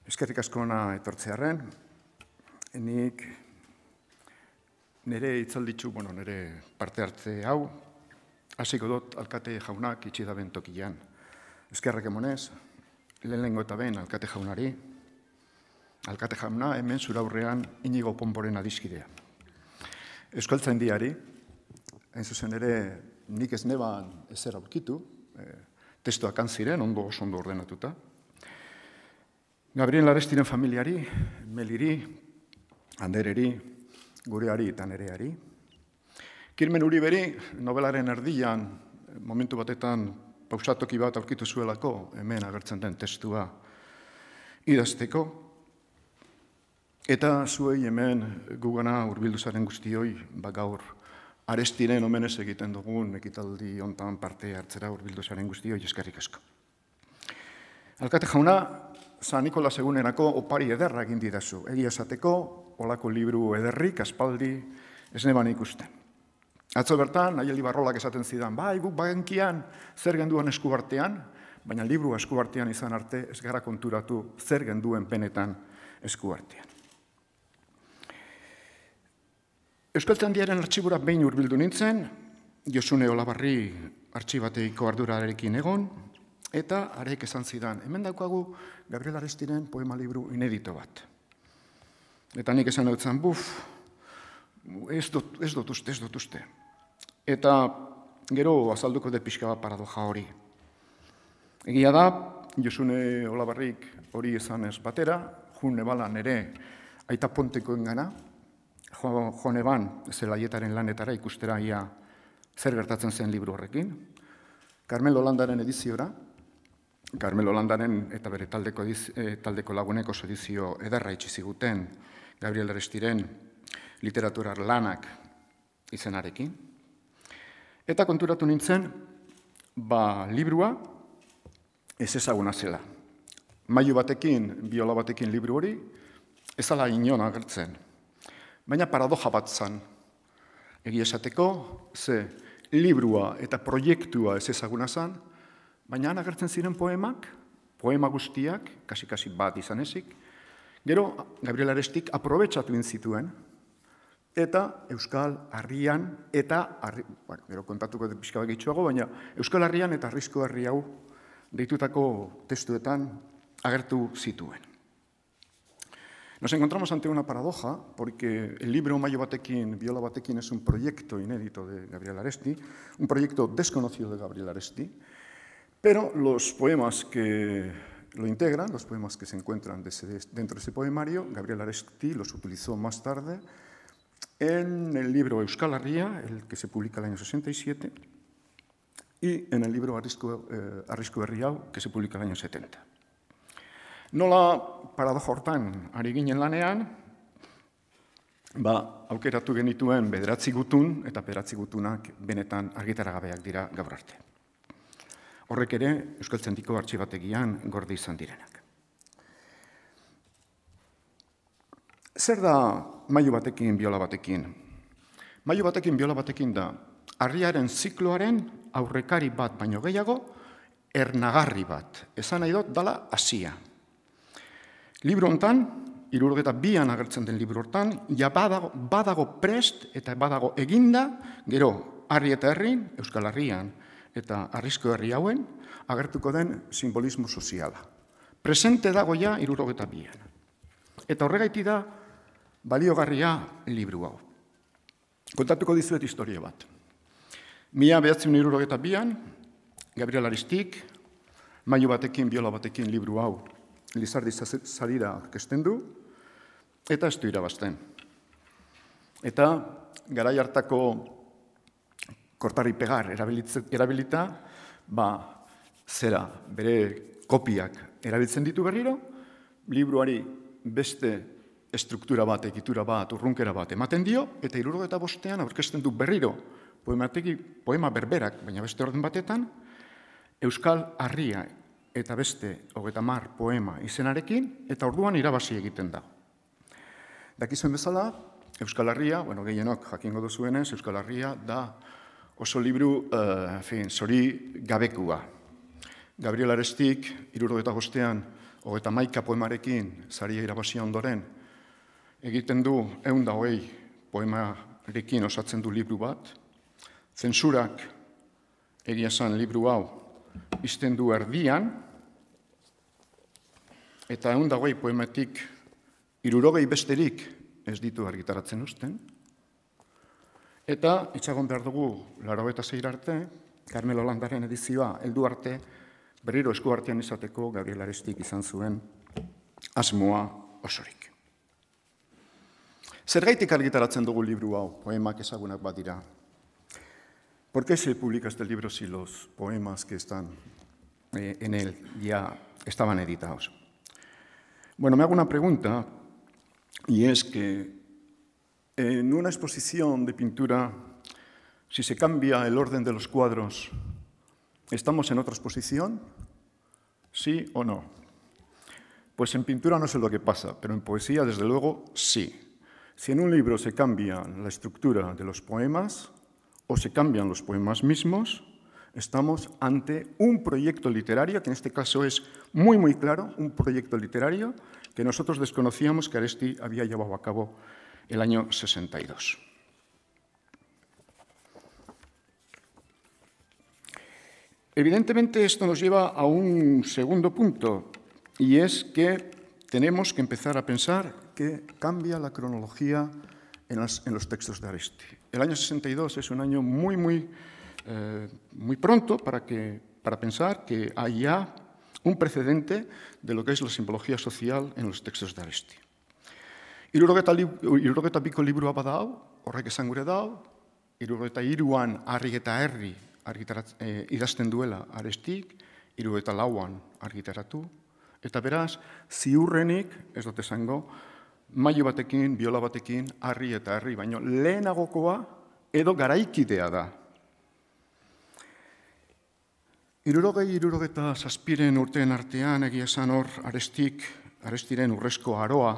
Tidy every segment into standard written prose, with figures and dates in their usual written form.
Eskerrik asko hona etortzearren, nik nire hitzalditzu, nire parte hartze hau, hasiko dut alkate jaunak itxi da bentokian. Eskerrak emonez, lehenengo eta ben alkate jaunari, alkate jauna hemen zura aurrean Inigo Ponboren adiskidea. Euskaltzaindiari, hain zuzen ere nik ez neban ezer aurkitu, testuak ziren, oso ondo ordenatuta. Gabriel Arestiren familiari, Meliri, Andereri, gureari eta nereari. Kirmen Uriberi, nobelaren erdian, momentu batetan pausatoki bat aurkitu zuelako, hemen agertzen den testua idazteko. Eta zuei hemen gugana hurbildu zaren guztioi, gaur Arestiren omenez egiten dugun ekitaldi hontan parte hartzera hurbildu zaren guztioi eskerrik asko. Alkate jauna, San Nikolas egunerako opari ederra egin didazu. Egia esateko, olako libru ederrik, aspaldi, ez neban ikusten. Atzo bertan, Naieli Barrolak esaten zidan, guk bagenkian zer genduan eskuartean, baina libru eskuartean izan arte ez gara konturatu zer genduen benetan eskuartean. Euskaltzaindiaren artxibura behin hurbildu nintzen, Josune Olabarri artxibateiko ardurarekin egon, eta arek esan zidan, hemen daukagu Gabriel Arestiren poema libru inedito bat. Eta nik esan dutzen, ez dut uste. Eta gero azalduko dut pixka bat paradoja hori. Egia da, Josune Olabarrik hori esan ez batera, june balan ere aita pontekoen gana, jone ban zelaietaren lanetara ikustera ia zer gertatzen zen libru horrekin, Carmelo Landaren ediziora, Carmelo Landaren eta bere taldeko lagunek oso edizio ederra itxi ziguten Gabriel Arestiren literaturar lanak izenarekin. Eta konturatu nintzen, librua ez ezaguna zela. Mailu batekin, biola batekin libru hori, ez ala inon agertzen. Baina paradoja bat zan. Egia esateko, ze librua eta proiektua ez ezaguna zan, baina agertzen ziren poema guztiak, kasi bat izan ezik, gero Gabriel Arestik aprobetsatu zituen, eta Euskal Herrian, gero kontatuko pixka bat gehitxuago, baina Euskal Herrian eta Arrizko Herri hau deitutako testuetan agertu zituen. Nos encontramos ante una paradoja, porque el libro Mayo batekin, Biola batekin es un proyecto inédito de Gabriel Aresti, un proyecto desconocido de Gabriel Aresti, pero los poemas que lo integran, los poemas que se encuentran dentro de ese poemario, Gabriel Aresti los utilizó más tarde en el libro Euskal Herria, el que se publica en el año 67, y en el libro Arrizko Herri hau, que se publica en el año 70. Nola paradoja hortan ari ginen lanean, aukeratu genituen 9 gutun, eta 9 gutunak benetan argitaragabeak dira gaur arte. Horrek ere, Euskaltzaindiko artxibategian gorde izan direnak. Zer da mailu batekin, biola batekin? Mailu batekin, biola batekin da, harriaren zikloaren aurrekari bat baino gehiago, ernagarri bat. Esan nahi dut, dala hasia. Libro hontan, 72an agertzen den libro hortan, badago prest eta badago eginda, gero, harri eta herrin, Euskal Herrian, eta Arrizko Herri hauen, agertuko den simbolismo soziala. Presente dago ja 72an. Eta horregaiti da, baliogarria libru hau. Kontatuko dizuet historia bat. 1972an, Gabriel Arestik, Mailu batekin, Biola batekin libru hau, Lizardi sarira aurkezten du, eta ez du irabazten. Eta garai hartako kortari pegar erabilita, bere kopiak erabiltzen ditu berriro, libruari beste estruktura bat, egitura bat, urrunkera bat ematen dio, eta 75an aurkezten du berriro poema berberak, baina beste orden batetan, Euskal Herria eta beste 30 poema izenarekin, eta orduan irabazi egiten da. Dakizuen bezala, Euskal Herria, gehienok jakingo duzuenez, Euskal Herria da oso libru zori gabekua. Gabriel Arestik, 75an 31 poemarekin saria irabazi ondoren, egiten du 120 poemarekin osatzen du liburu bat. Zentsurak egia esan liburu hau izten du erdian, eta 120 poematik 60 besterik ez ditu argitaratzen uzten. Eta itxagon behar dugu 86 arte, Carmelo Landaren edizioa heldu arte, berriro esku artean izateko Gabriel Arestik izan zuen asmoa osorik. Zergaitik argitaratzen dugu liburu hau, poemak ezagunak badira? ¿Por qué se publica este libro si los poemas que están en él ya estaban editados? Bueno, me hago una pregunta, y es que en una exposición de pintura, si se cambia el orden de los cuadros, ¿estamos en otra exposición? ¿Sí o no? Pues en pintura no sé lo que pasa, pero en poesía, desde luego, sí. Si en un libro se cambia la estructura de los poemas o se cambian los poemas mismos, estamos ante un proyecto literario, que en este caso es muy, muy claro, un proyecto literario que nosotros desconocíamos que Aresti había llevado a cabo el año 62. Evidentemente, esto nos lleva a un segundo punto, y es que tenemos que empezar a pensar que cambia la cronología en los textos de Aresti. El año 62 es un año muy pronto para pensar que hay ya un precedente de lo que es la simbología social en los textos de Aresti. Hirurogeita biko liburua badau, horrek esan gure dau, 73an Harri eta Herri idazten duela Arestik, 74an argitaratu, eta beraz, ziurrenik, ez dut esango, mailu batekin, biola batekin, Harri eta Herri, baino lehenagokoa edo garaikidea da. 67 urteen artean, egia esan hor, Arestiren urrezko aroa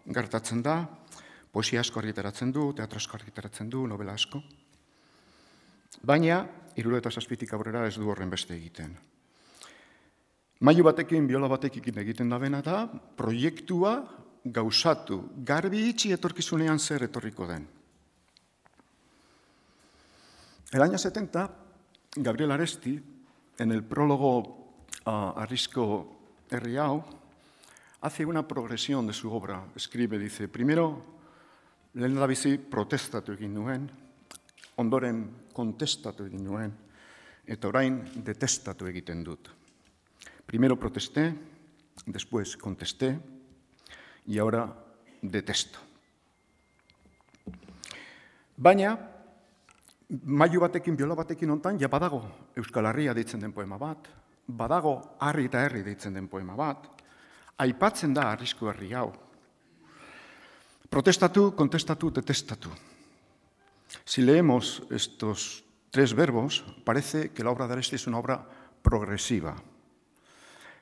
gertatzen da, poesia asko argitaratzen du, teatro asko argitaratzen du, novela asko. Baina, 67tik aurrera ez du horren beste egiten. Mailu batekin, biola batekin egiten da bena da, proiektua gauzatu, garbi itxi etorkizunean zer etorriko den. El año 70, Gabriel Aresti, en el prólogo a Harrizko Herri hau, hace una progresión de su obra. Escribe, dice, primero, lehendabizi protestatu egin nuen, ondoren kontestatu egin nuen, eta orain detestatu egiten dut. Primero protesté, después contesté, y ahora detesto. Baina, mailu batekin, biola batekin ontan, ja badago Euskal Herria deitzen den poema bat, badago Harri eta Herri deitzen den poema bat, aipatzen da Harrizko Herri hau. Protestatu, contestatu, detestatu. Si leemos estos tres verbos, parece que la obra de Aresti es una obra progresiva.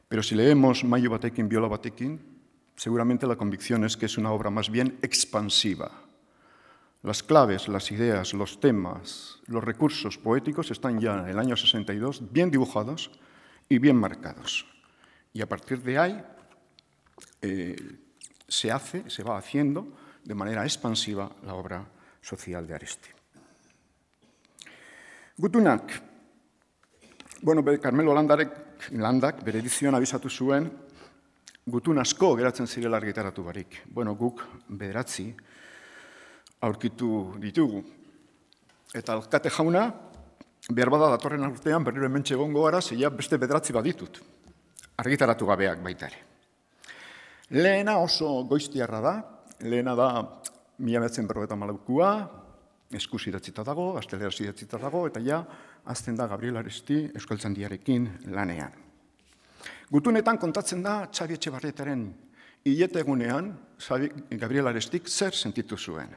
Pero si leemos mailu batekin, biola batekin, seguramente la convicción es que es una obra más bien expansiva. Las claves, las ideas, los temas, los recursos poéticos están ya en el año 62 bien dibujados y bien marcados. Y a partir de ahí se va haciendo de manera expansiva la obra social de Aresti. Gutunak. Bueno, Carmelo Landak bere edizioan abisatu zuen gutun asko geratzen zirela argitaratu barik. Bueno, guk 9 aurkitu ditugu. Eta alkate jauna, behar bada datorren urtean berriro hementxe egongo gara, zeia beste 9 baditut. Argitaratu gabeak baita ere. Lehena oso goiztiarra da, lehena da 1954a, eskuz idatzita dago, gazteleraz idatzita dago, eta ja, azten da Gabriel Aresti Euskaltzaindiarekin lanean. Gutunetan kontatzen da Txabi Etxebarrietaren hiletegunean Gabriel Arestik zer sentitu zuen.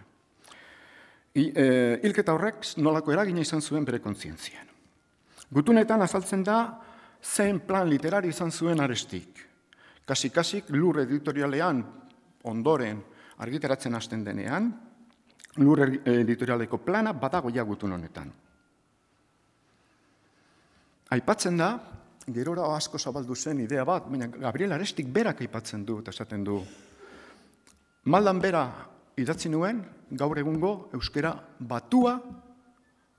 Hilketa horrek nolako eragina izan zuen bere kontzientzian. Gutunetan azaltzen da zein plan literari izan zuen Arestik. Kasik lur editorialean ondoren argitaratzen hasten denean, lur editorialeko plana badago ja gutun honetan. Aipatzen da, gerora asko zabaldu zen idea bat, baina Gabriel Arestik berak aipatzen du, eta esaten du, maldan bera idatzi nuen, gaur egungo euskera batua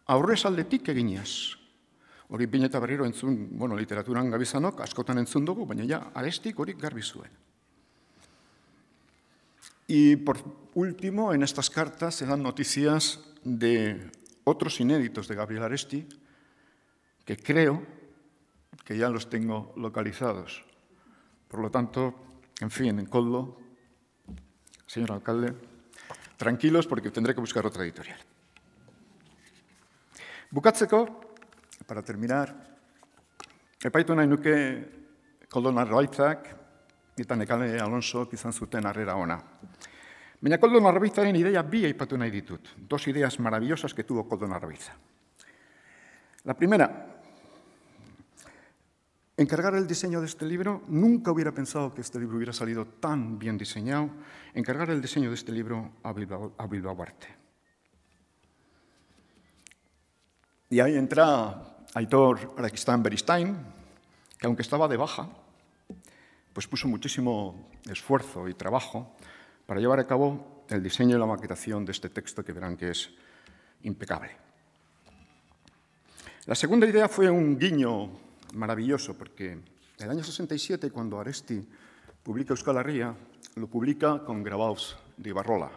aurrez aldetik eginez. Hori bine eta berriro entzun, literaturan gabizanok, askotan entzun dugu, baina ja, Arestik hori garbi zuen. Y por último, en estas cartas se dan noticias de otros inéditos de Gabriel Aresti, que creo que ya los tengo localizados. Por lo tanto, en fin, en Koldo, señor alcalde, tranquilos porque tendré que buscar otra editorial. Bukatzeko, para terminar, epaitu nahi nuke Koldo Narvaitzak eta Nekane Alonsok izan zuten harrera ona. Baina Koldo Narvaitzaren ideia bi aipatu nahi ditut. Dos ideas maravillosas que tuvo Koldo Narvaitza. La primera, encargar el diseño de este libro, nunca hubiera pensado que este libro hubiera salido tan bien diseñado, encargar el diseño de este libro a Bilbao Arte. Y ahí entra Aitor Araquistáin Beristain, que aunque estaba de baja, pues puso muchísimo esfuerzo y trabajo para llevar a cabo el diseño y la maquetación de este texto que verán que es impecable. La segunda idea fue un guiño maravilloso, porque en el año 67, cuando Aresti publica Euskal Herria, lo publica con grabados de Ibarrola,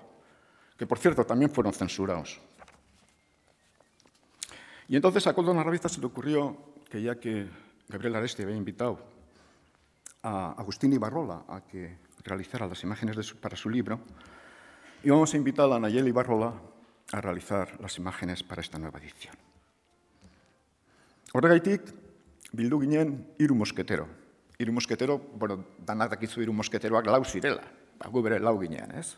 que por cierto también fueron censurados. Y entonces a Koldo Narvaitza se le ocurrió que ya que Gabriel Aresti había invitado a Agustín Ibarrola a que realizara las imágenes para su libro, íbamos a invitar a Nayeli Ibarrola a realizar las imágenes para esta nueva edición. Horregaitik, bildu ginen hiru mosketero. Hiru mosketero, danak dakizu hiru mosketeroak lau zirela. Gu bere lau ginean, ez?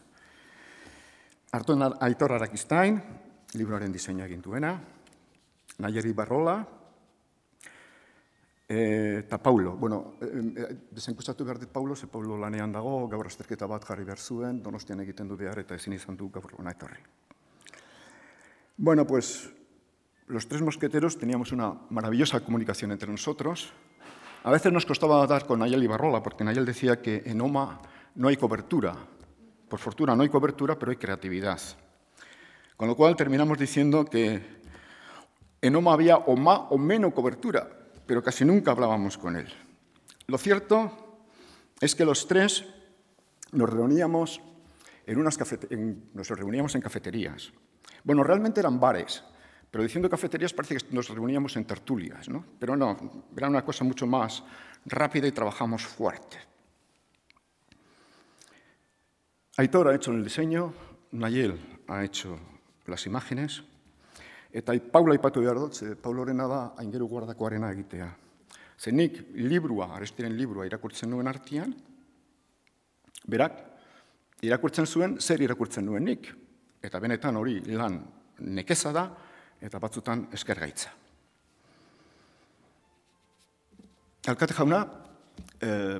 Aitor Araquistáin, libroaren diseinua egin duena, Nayeli Ibarrola, eta Paulo. Desenkustatu behar dit Paulo, ze Paulo lanean dago, gaur azterketa bat jarri behar zuen, Donostian egiten du behar eta ezin izan du gaur hona etorri. Pues los tres mosqueteros teníamos una maravillosa comunicación entre nosotros. A veces nos costaba dar con Nayeli Ibarrola, porque Nayel decía que en OMA no hay cobertura. Por fortuna no hay cobertura, pero hay creatividad. Con lo cual terminamos diciendo que en OMA había o más o menos cobertura, pero casi nunca hablábamos con él. Lo cierto es que los tres nos reuníamos en cafeterías. Realmente eran bares, pero diciendo cafeterías parece que nos reuníamos en tertulias, ¿no? Pero no, era una cosa mucho más rápida y trabajamos fuerte. Aitor ha hecho el diseño, Nayel ha hecho las imágenes, eta Paula aipatu behar dut, Paulorena da aingeru guardakoarena egitea. Ze nik Arestiren liburua irakurtzen nuen artean, berak irakurtzen zuen, zer irakurtzen nuen nik. Eta benetan hori lan nekeza da, eta batzutan eskergaitza. Alkate jauna,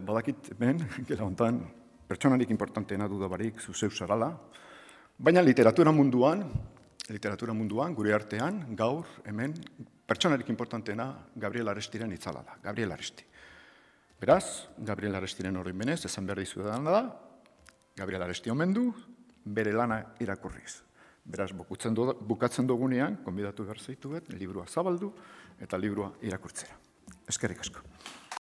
badakit hemen, gela hontan, pertsonarik importanteena dudabarik zuzeu zarala, baina literatura munduan, gure artean, gaur, hemen, pertsonarik importanteena Gabriel Arestiren itzala da, Gabriel Aresti. Beraz, Gabriel Arestiren horrein benez, esan behar dizuedana da, Gabriel Aresti omen du, bere lana irakurriz. Beraz, bukatzen dugunean, konbidatu behar zaituet, liburua zabaldu eta liburua irakurtzera. Eskerrik asko.